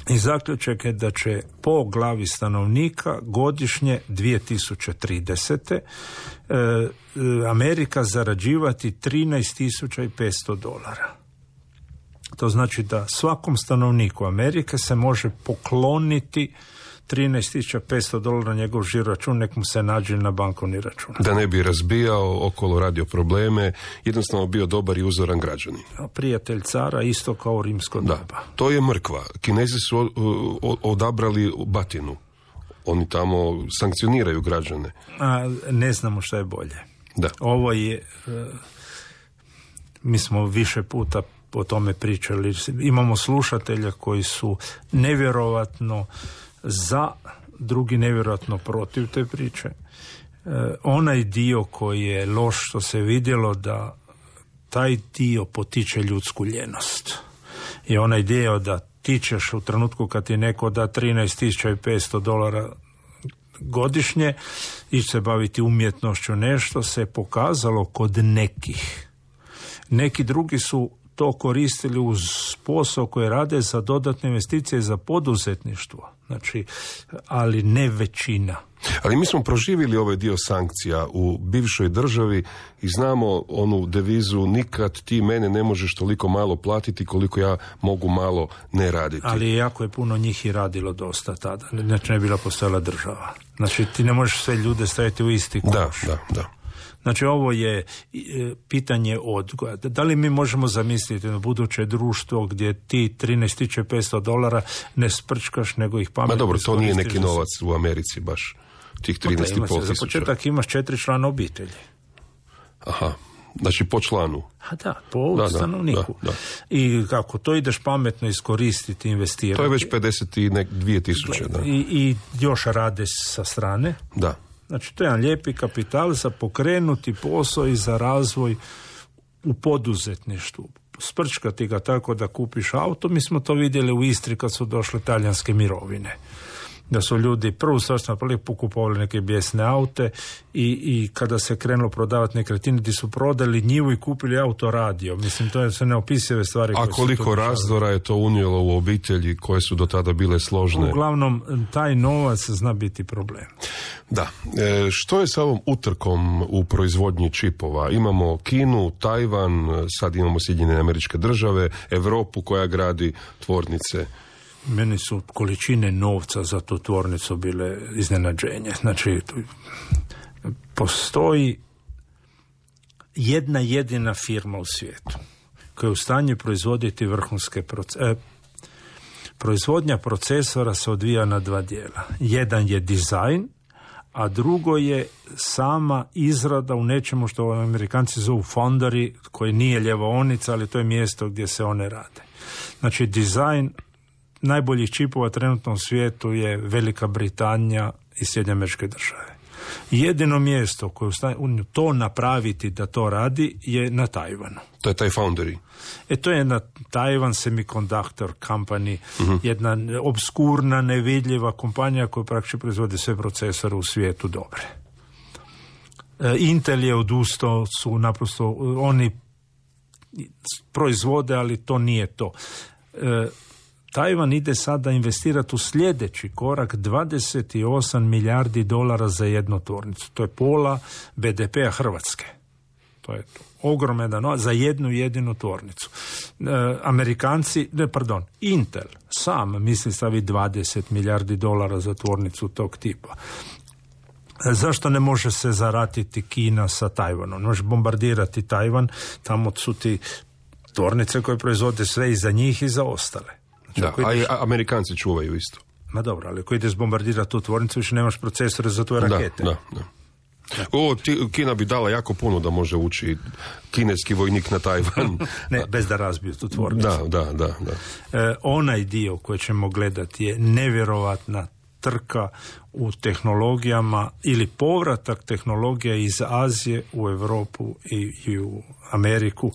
Speaker 6: I zaključak je da će po glavi stanovnika godišnje 2030. Amerika zarađivati $13,500. To znači da svakom stanovniku Amerike se može pokloniti $13,500 na njegov žiro račun, nek mu se nađe na bankovni račun.
Speaker 5: Da ne bi razbijao okolo, radio probleme, jednostavno bio dobar i uzoran građanin.
Speaker 6: Prijatelj cara, isto kao rimsko doba.
Speaker 5: To je mrkva. Kinezi su odabrali batinu. Oni tamo sankcioniraju građane.
Speaker 6: Ne znamo šta je bolje.
Speaker 5: Da.
Speaker 6: Ovo je, mi smo više puta o tome pričali. Imamo slušatelja koji su nevjerovatno za, drugi nevjerojatno protiv te priče. Onaj dio koji je loš, što se vidjelo da taj dio potiče ljudsku ljenost. I onaj dio da ti ćeš u trenutku kad ti neko da $13,500 godišnje ići se baviti umjetnošću, nešto se pokazalo kod nekih. Neki drugi su to koristili uz posao koji rade za dodatne investicije za poduzetništvo. Znači, ali ne većina.
Speaker 5: Ali mi smo proživjeli ovaj dio sankcija u bivšoj državi i znamo onu devizu nikad ti mene ne možeš toliko malo platiti koliko ja mogu malo ne raditi.
Speaker 6: Ali jako je puno njih i radilo dosta tada. Znači ne bila postojala država. Znači ti ne možeš sve ljude staviti u isti koš.
Speaker 5: Da.
Speaker 6: Znači ovo je pitanje odgoja. Da li mi možemo zamisliti na buduće društvo gdje ti $13,500 ne sprčkaš, nego ih pametno...
Speaker 5: Ma dobro, to nije neki novac u Americi baš, tih 13,5 tisuća.
Speaker 6: Za početak imaš 4 člana obitelji.
Speaker 5: Aha, Znači po članu.
Speaker 6: A da, po stanovniku.
Speaker 5: Da.
Speaker 6: I kako to ideš pametno iskoristiti, investirati.
Speaker 5: To je već 52.000. Da.
Speaker 6: I još rade sa strane.
Speaker 5: Da.
Speaker 6: Znači to je jedan lijepi kapital za pokrenuti posao i za razvoj u poduzetništvu. Sprčkati ga tako da kupiš auto. Mi smo to vidjeli u Istri kad su došle talijanske mirovine. Da su ljudi prvu stvar pokupovali neke bijesne aute i kada se krenulo prodavati nekretnine, ti su prodali njivu i kupili autoradio. Mislim, to su neopisive stvari.
Speaker 5: A koliko razdora je to unijelo u obitelji koje su do tada bile složne?
Speaker 6: Uglavnom, taj novac zna biti problem.
Speaker 5: Da. Što je sa ovom utrkom u proizvodnji čipova? Imamo Kinu, Tajvan, sad imamo Sjedinjene Američke Države, Europu koja gradi tvornice.
Speaker 6: Meni su količine novca za tu tvornicu bile iznenađenje. Znači, postoji jedna jedina firma u svijetu koja je u stanju proizvoditi vrhunske procese. Proizvodnja procesora se odvija na dva dijela. Jedan je dizajn, a drugo je sama izrada u nečemu što Amerikanci zovu foundry, koji nije ljevaonica, ali to je mjesto gdje se one rade. Znači, dizajn najboljih čipova trenutno u svijetu je Velika Britanija i Sjedinjene Američke Države. Jedino mjesto koje to napraviti da to radi je na Tajvanu.
Speaker 5: To je taj foundry.
Speaker 6: To je na Taiwan Semiconductor Company, jedna obskurna, nevidljiva kompanija koja praktički proizvodi sve procesore u svijetu dobre. Intel je odustao, su naprosto oni proizvode, ali to nije to. Tajvan ide sada investirati u sljedeći korak $28 milijardi za jednu tvornicu. To je pola BDP-a Hrvatske. To je ogroman novac za jednu jedinu tvornicu. Intel sam misli staviti $20 milijardi za tvornicu tog tipa. Zašto ne može se zaratiti Kina sa Tajvanom? Može bombardirati Tajvan, tamo su ti tvornice koje proizvode sve i za njih i za ostale.
Speaker 5: Da, a i Amerikanci čuvaju isto.
Speaker 6: Ma dobro, ali ako ideš bombardirati tu tvornicu, više nemaš procesore za tvoje rakete.
Speaker 5: Da. Kina bi dala jako puno da može ući kineski vojnik na Tajvan.
Speaker 6: Ne, bez da razbiju tu tvornicu.
Speaker 5: Da.
Speaker 6: Onaj dio koji ćemo gledati je nevjerovatna trka u tehnologijama ili povratak tehnologija iz Azije u Europu i u Ameriku.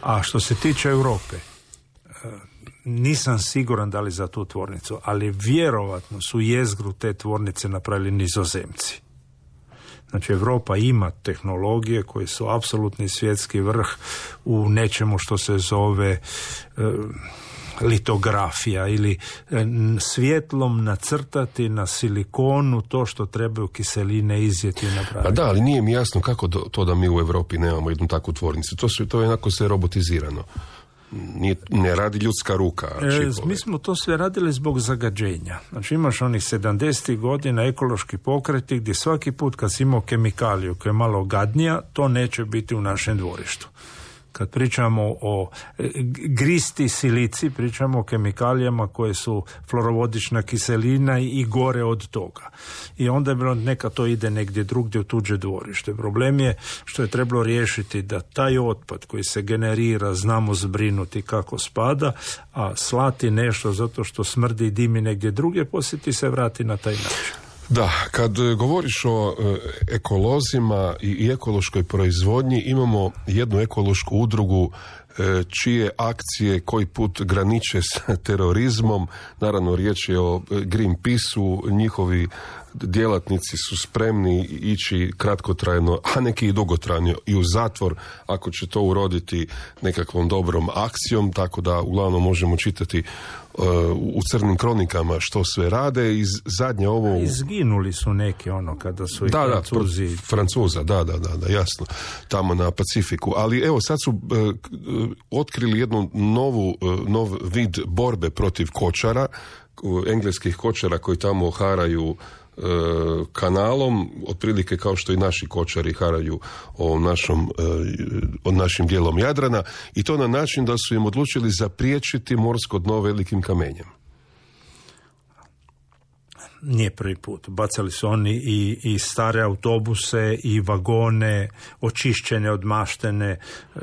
Speaker 6: A što se tiče Europe, nisam siguran da li za tu tvornicu, ali vjerovatno su jezgru te tvornice napravili Nizozemci. Znači, Europa ima tehnologije koje su apsolutni svjetski vrh u nečemu što se zove litografija ili svjetlom nacrtati na silikonu to što trebaju kiseline izjeti i napraviti.
Speaker 5: Pa da, ali nije mi jasno kako to da mi u Europi nemamo jednu takvu tvornicu. To je jednako sve robotizirano. Ne radi ljudska ruka.
Speaker 6: Mi smo to sve radili zbog zagađenja. Znači imaš onih 70. godina ekološki pokreti gdje svaki put kad si imao kemikaliju koja je malo gadnija, to neće biti u našem dvorištu. Kad pričamo o gristi silici, pričamo o kemikalijama koje su fluorovodična kiselina i gore od toga. I onda je bilo neka to ide negdje drugdje u tuđe dvorište. Problem je što je trebalo riješiti da taj otpad koji se generira znamo zbrinuti kako spada, a slati nešto zato što smrdi i dimi negdje drugdje, poslije ti se vrati na taj način.
Speaker 5: Da, kad govoriš o ekolozima i ekološkoj proizvodnji, imamo jednu ekološku udrugu čije akcije koji put graniče s terorizmom. Naravno, riječ je o Greenpeaceu, njihovi djelatnici su spremni ići kratkotrajno, a neki i dugotrajno i u zatvor ako će to uroditi nekakvom dobrom akcijom, tako da uglavnom možemo čitati u crnim kronikama što sve rade. I zadnje ovo...
Speaker 6: Izginuli su neki kada su i Francuzi...
Speaker 5: Francuza, da, jasno, tamo na Pacifiku. Ali evo, sad su otkrili jednu nov vid borbe protiv kočara, engleskih kočara koji tamo haraju kanalom, otprilike kao što i naši kočari haraju našim dijelom Jadrana, i to na način da su im odlučili zapriječiti morsko dno velikim kamenjem.
Speaker 6: Nije prvi put. Bacali su oni i stare autobuse i vagone, očišćene, odmaštene,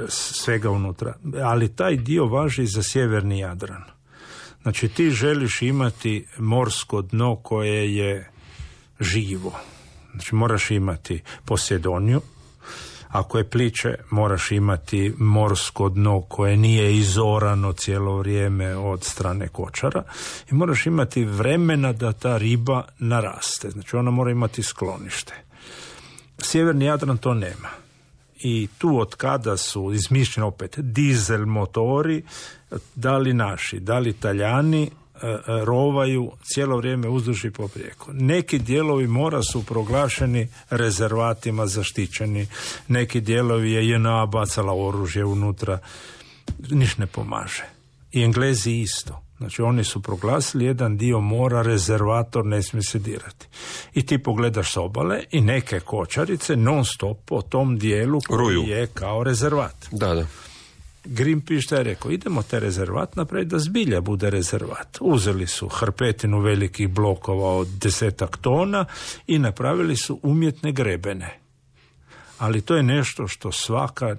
Speaker 6: svega unutra. Ali taj dio važi za sjeverni Jadran. Znači ti želiš imati morsko dno koje je živo. Znači moraš imati Posedoniju. Ako je pliće, moraš imati morsko dno koje nije izorano cijelo vrijeme od strane kočara i moraš imati vremena da ta riba naraste. Znači ona mora imati sklonište. Sjeverni Jadran to nema. I tu od kada su izmišljeni opet dizel motori, da li naši, da li Talijani, rovaju cijelo vrijeme uzduž i poprijeko. Neki dijelovi mora su proglašeni rezervatima zaštićeni, neki dijelovi je JNA bacala oružje unutra, niš ne pomaže. I Englezi isto. Znači oni su proglasili jedan dio mora rezervator, ne smije se dirati. I ti pogledaš s obale i neke kočarice non stop po tom dijelu koji je kao rezervat.
Speaker 5: Da.
Speaker 6: Greenpeace šta je rekao, idemo te rezervat napraviti da zbilja bude rezervat. Uzeli su hrpetinu velikih blokova od 10 tona i napravili su umjetne grebene. Ali to je nešto što svaka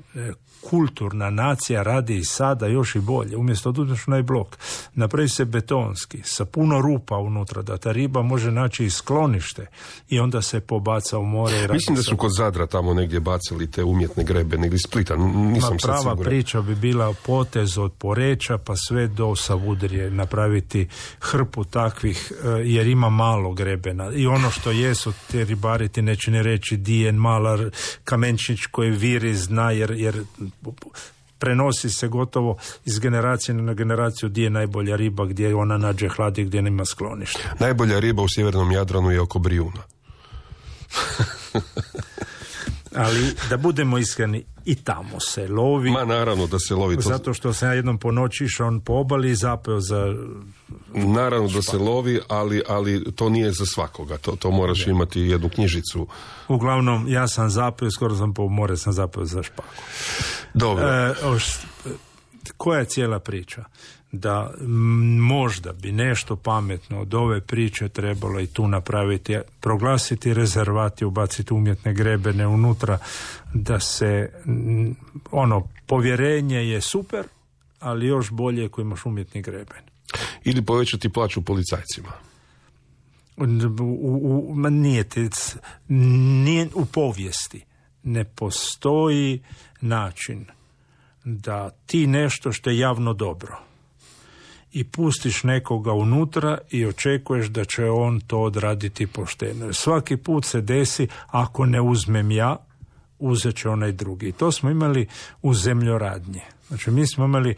Speaker 6: kulturna nacija radi i sada još i bolje. Umjesto da uzmeš onaj blok, napravi se betonski, sa puno rupa unutra, da ta riba može naći i sklonište i onda se pobaca u more.
Speaker 5: Mislim da su kod Zadra tamo negdje bacili te umjetne grebe, negdje iz Splita, nisam sad
Speaker 6: prava
Speaker 5: siguran.
Speaker 6: priča bi bila potez od Poreča pa sve do Savudrije, napraviti hrpu takvih, jer ima malo grebena. I ono što jesu te ribari ti neće ne reći di je malar kamenčić koji viri zna, jer prenosi se gotovo iz generacije na generaciju gdje je najbolja riba, gdje ona nađe hladi, gdje nema sklonište.
Speaker 5: Najbolja riba u sjevernom Jadranu je oko Brijuna.
Speaker 6: Ali da budemo iskreni, i tamo se lovi.
Speaker 5: Ma naravno da se lovi.
Speaker 6: Zato što sam ja jednom po noći išao po obali i zapeo za...
Speaker 5: Naravno da se lovi, ali to nije za svakoga. To moraš imati jednu knjižicu.
Speaker 6: Uglavnom, ja sam zapeo, skoro sam po more, sam zapeo za špaku.
Speaker 5: Dobro.
Speaker 6: Koja je cijela priča? Da možda bi nešto pametno od ove priče trebalo i tu napraviti, proglasiti rezervat i ubaciti umjetne grebene unutra, da se povjerenje je super, ali još bolje ako imaš umjetni greben.
Speaker 5: Ili povećati plaću policajcima.
Speaker 6: Nije u povijesti. Ne postoji način da ti nešto što je javno dobro i pustiš nekoga unutra i očekuješ da će on to odraditi pošteno. Svaki put se desi, ako ne uzmem ja, uzet će onaj drugi. I to smo imali u zemljoradnje. Znači mi smo imali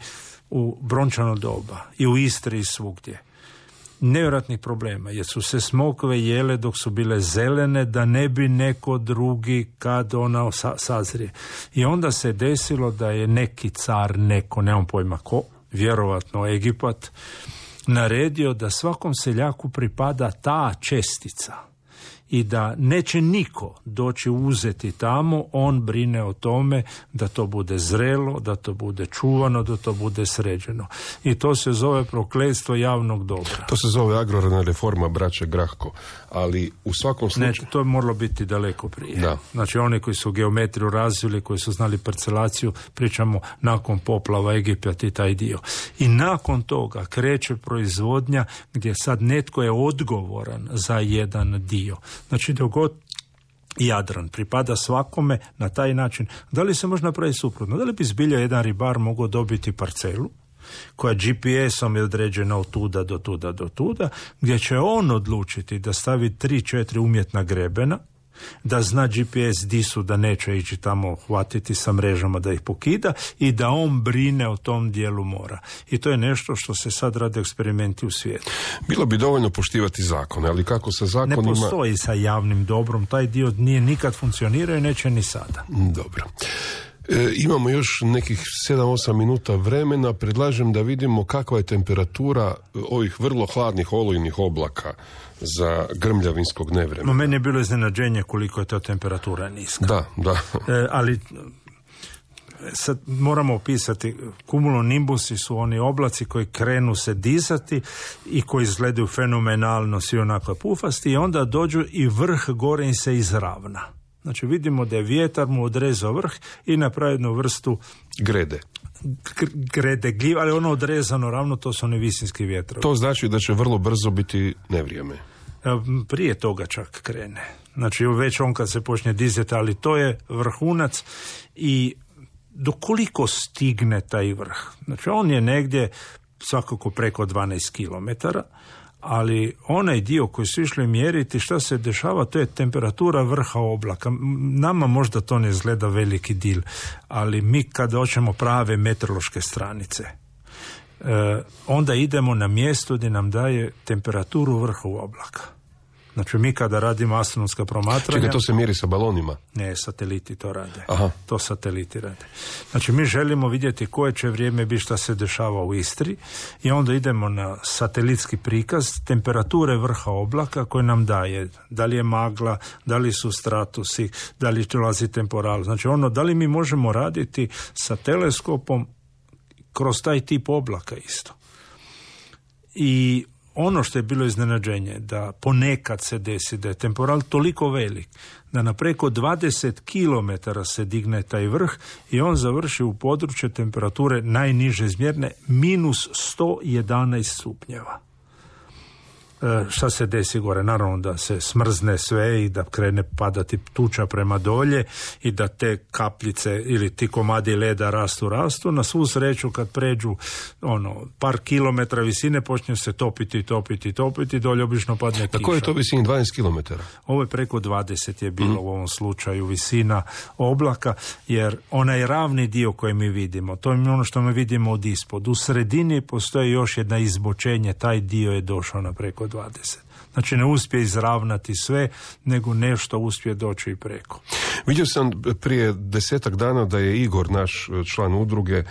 Speaker 6: u brončano doba i u Istri i svugdje nevjerojatnih problema, jer su se smokve jele dok su bile zelene, da ne bi neko drugi kad ona sazrije. I onda se desilo da je neki car, nemam pojma ko, vjerovatno Egipat, naredio da svakom seljaku pripada ta čestica i da neće niko doći uzeti tamo, on brine o tome da to bude zrelo, da to bude čuvano, da to bude sređeno. I to se zove prokletstvo javnog dobra.
Speaker 5: To se zove agrarna reforma braće Grahko, ali u svakom slučaju...
Speaker 6: Ne, to je moralo biti daleko prije.
Speaker 5: Da.
Speaker 6: Znači oni koji su geometriju razvili, koji su znali parcelaciju, pričamo nakon poplava Egipat i taj dio. I nakon toga kreće proizvodnja gdje sad netko je odgovoran za jedan dio. Znači dok god Jadran pripada svakome na taj način, da li se može napraviti suprotno? Da li bi zbilja jedan ribar mogao dobiti parcelu koja GPS-om je određena od tuda do tuda do tuda, gdje će on odlučiti da stavi 3-4 umjetna grebena, da zna GPS di su, da neće ići tamo hvatiti sa mrežama da ih pokida i da on brine o tom dijelu mora. I to je nešto što se sad rade eksperimenti u svijetu.
Speaker 5: Bilo bi dovoljno poštivati zakone, ali kako sa zakonima...
Speaker 6: Ne postoji sa javnim dobrom, taj dio nije nikad funkcionirao i neće ni sada.
Speaker 5: Dobro. Imamo još nekih 7-8 minuta vremena. Predlažem da vidimo kakva je temperatura ovih vrlo hladnih olujnih oblaka za grmljavinskog nevremena.
Speaker 6: No, meni je bilo iznenađenje koliko je ta temperatura niska.
Speaker 5: Da.
Speaker 6: Ali sad moramo opisati, cumulonimbusi su oni oblaci koji krenu se dizati i koji izgledaju fenomenalno, svi onako pufasti, i onda dođu i vrh gore im se izravna. Znači vidimo da je vjetar mu odrezao vrh i napravi jednu vrstu grede gljiva, ali ono odrezano ravno, to su oni visinski vjetrovi.
Speaker 5: To znači da će vrlo brzo biti nevrijeme.
Speaker 6: Prije toga čak krene. Znači već on kad se počne dizati, ali to je vrhunac. I dokoliko stigne taj vrh? Znači on je negdje svakako preko 12 km, ali onaj dio koji su išli mjeriti šta se dešava, to je temperatura vrha oblaka. Nama možda to ne izgleda veliki dil, ali mi kad hoćemo prave meteorološke stranice, onda idemo na mjesto gdje nam daje temperaturu vrha oblaka. Znači mi kada radimo astronomska promatranja...
Speaker 5: Čekaj, to se mjeri sa balonima?
Speaker 6: Ne, sateliti to rade.
Speaker 5: Aha.
Speaker 6: To sateliti rade. Znači mi želimo vidjeti koje će vrijeme biti šta se dešava u Istri i onda idemo na satelitski prikaz temperature vrha oblaka koje nam daje. Da li je magla, da li su stratusi, da li dolazi temporal. Znači da li mi možemo raditi sa teleskopom kroz taj tip oblaka isto. I ono što je bilo iznenađenje, da ponekad se desi da je temporal toliko velik, da na preko 20 km se digne taj vrh i on završi u području temperature najniže izmjerne minus 111 stupnjeva. Šta se desi gore? Naravno da se smrzne sve i da krene padati tuča prema dolje i da te kapljice ili ti komadi leda rastu. Na svu sreću kad pređu par kilometra visine počne se topiti, dolje obično padne kiša.
Speaker 5: Na koje je to visini? 12 kilometara?
Speaker 6: Ovo je preko 20 je bilo u ovom slučaju visina oblaka, jer onaj ravni dio koji mi vidimo, to je ono što mi vidimo od ispod. U sredini postoji još jedna izbočenje, taj dio je došao na preko 20. Znači ne uspije izravnati sve, nego nešto uspije doći i preko.
Speaker 5: Vidio sam prije 10 dana da je Igor, naš član udruge,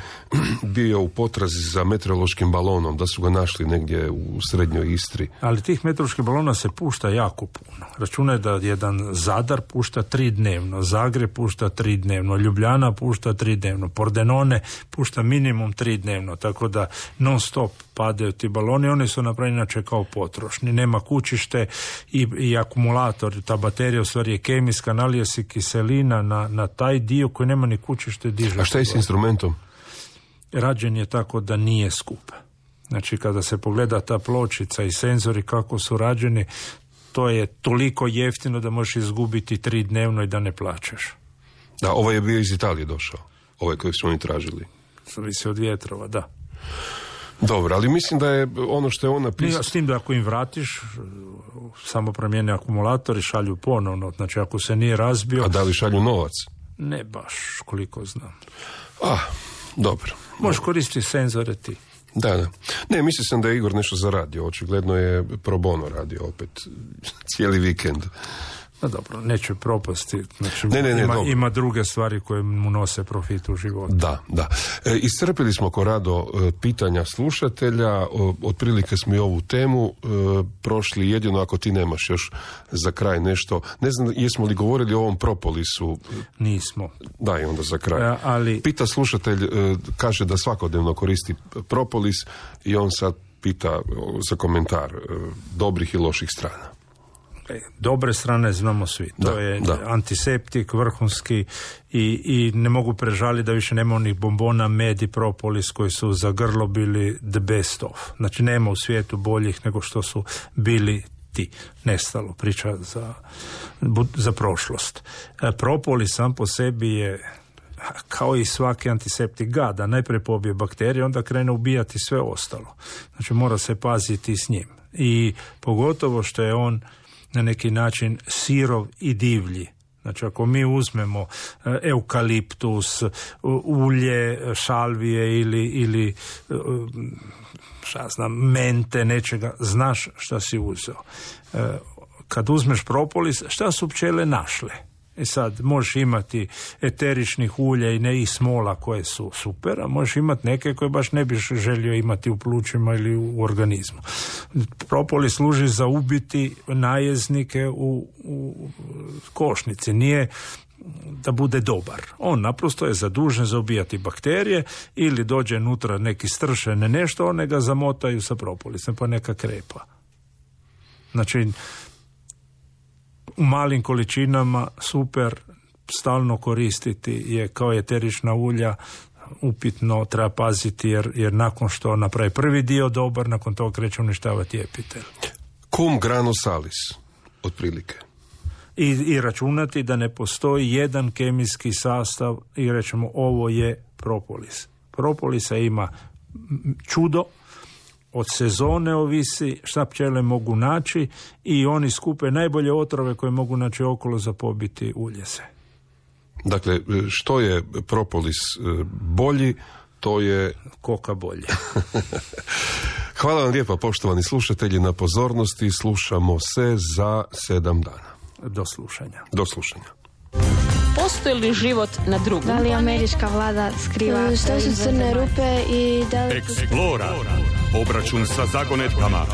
Speaker 5: bio u potrazi za meteorološkim balonom, da su ga našli negdje u srednjoj Istri.
Speaker 6: Ali tih meteoroloških balona se pušta jako puno. Računaj da jedan Zadar pušta 3 dnevno, Zagreb pušta 3 dnevno, Ljubljana pušta 3 dnevno, Pordenone pušta minimum 3 dnevno, tako da non stop padaju ti baloni, oni su napravljeni inače kao potrošni, nema kućište i akumulator, ta baterija u stvari je kemijska, nalije se kiselina na taj dio koji nema ni kućište, diže.
Speaker 5: A šta je s instrumentom?
Speaker 6: Rađen je tako da nije skup. Znači kada se pogleda ta pločica i senzori kako su rađeni, to je toliko jeftino da možeš izgubiti 3 dnevno i da ne plaćaš.
Speaker 5: Da, ovaj je bio iz Italije došao, ovaj koji su oni tražili.
Speaker 6: Zavisi od vjetrova, da.
Speaker 5: Dobro, ali mislim da je ono što je on napisao...
Speaker 6: S tim da ako im vratiš, samo promijene akumulator i šalju ponovno. Znači ako se nije razbio...
Speaker 5: A da li šalju novac?
Speaker 6: Ne baš, koliko znam.
Speaker 5: Dobro.
Speaker 6: Možeš koristiti senzore ti.
Speaker 5: Da. Ne, mislio sam da je Igor nešto zaradio. Očigledno je pro bono radio opet cijeli vikend.
Speaker 6: No dobro, neće propasti. Znači, ima druge stvari koje mu nose profit u životu.
Speaker 5: Da. Iscrpili smo, Korado, pitanja slušatelja. Otprilike smo i ovu temu prošli, jedino ako ti nemaš još za kraj nešto. Ne znam, jesmo li govorili o ovom propolisu?
Speaker 6: Nismo.
Speaker 5: Da, i onda za kraj.
Speaker 6: Ali...
Speaker 5: Pita slušatelj, kaže da svakodnevno koristi propolis i on sad pita za komentar dobrih i loših strana.
Speaker 6: Dobre strane znamo svi. To je antiseptik vrhunski i ne mogu prežaliti da više nema onih bombona, med i propolis koji su za grlo bili the best of. Znači nema u svijetu boljih nego što su bili ti. Nestalo, priča za prošlost. Propolis sam po sebi je kao i svaki antiseptik gada. Najprije pobije bakterije, onda krene ubijati sve ostalo. Znači mora se paziti s njim. I pogotovo što je on na neki način sirov i divlji. Znači ako mi uzmemo eukaliptus, ulje, šalvije ili mente, nečega, znaš šta si uzeo. Kad uzmeš propolis, šta su pčele našle? I sad možeš imati eteričnih ulja i smola koje su super, a možeš imati neke koje baš ne biš želio imati u plućima ili u organizmu. Propolis služi za ubiti najeznike u košnici. Nije da bude dobar. On naprosto je zadužen za ubijati bakterije ili dođe unutra neki stršene nešto, one ga zamotaju sa propolisem pa neka krepa. Znači, u malim količinama super, stalno koristiti je kao eterična ulja, upitno, treba paziti jer nakon što napravi prvi dio dobar, nakon toga kreće uništavati epitel.
Speaker 5: Cum grano salis, otprilike.
Speaker 6: I računati da ne postoji jedan kemijski sastav i rećemo ovo je propolis. Propolisa ima čudo, od sezone ovisi šta pčele mogu naći i oni skupe najbolje otrove koje mogu naći okolo za pobiti uljeze.
Speaker 5: Dakle, što je propolis bolji, to je...
Speaker 6: Koka bolje.
Speaker 5: Hvala vam lijepa, poštovani slušatelji, na pozornosti. Slušamo se za 7 dana.
Speaker 6: Do slušanja.
Speaker 5: Do slušanja.
Speaker 1: Postoji li život na drugom?
Speaker 2: Da li američka vlada skriva
Speaker 3: Što su crne rupe i da li...
Speaker 4: Explora. Obračun sa zagonetkama.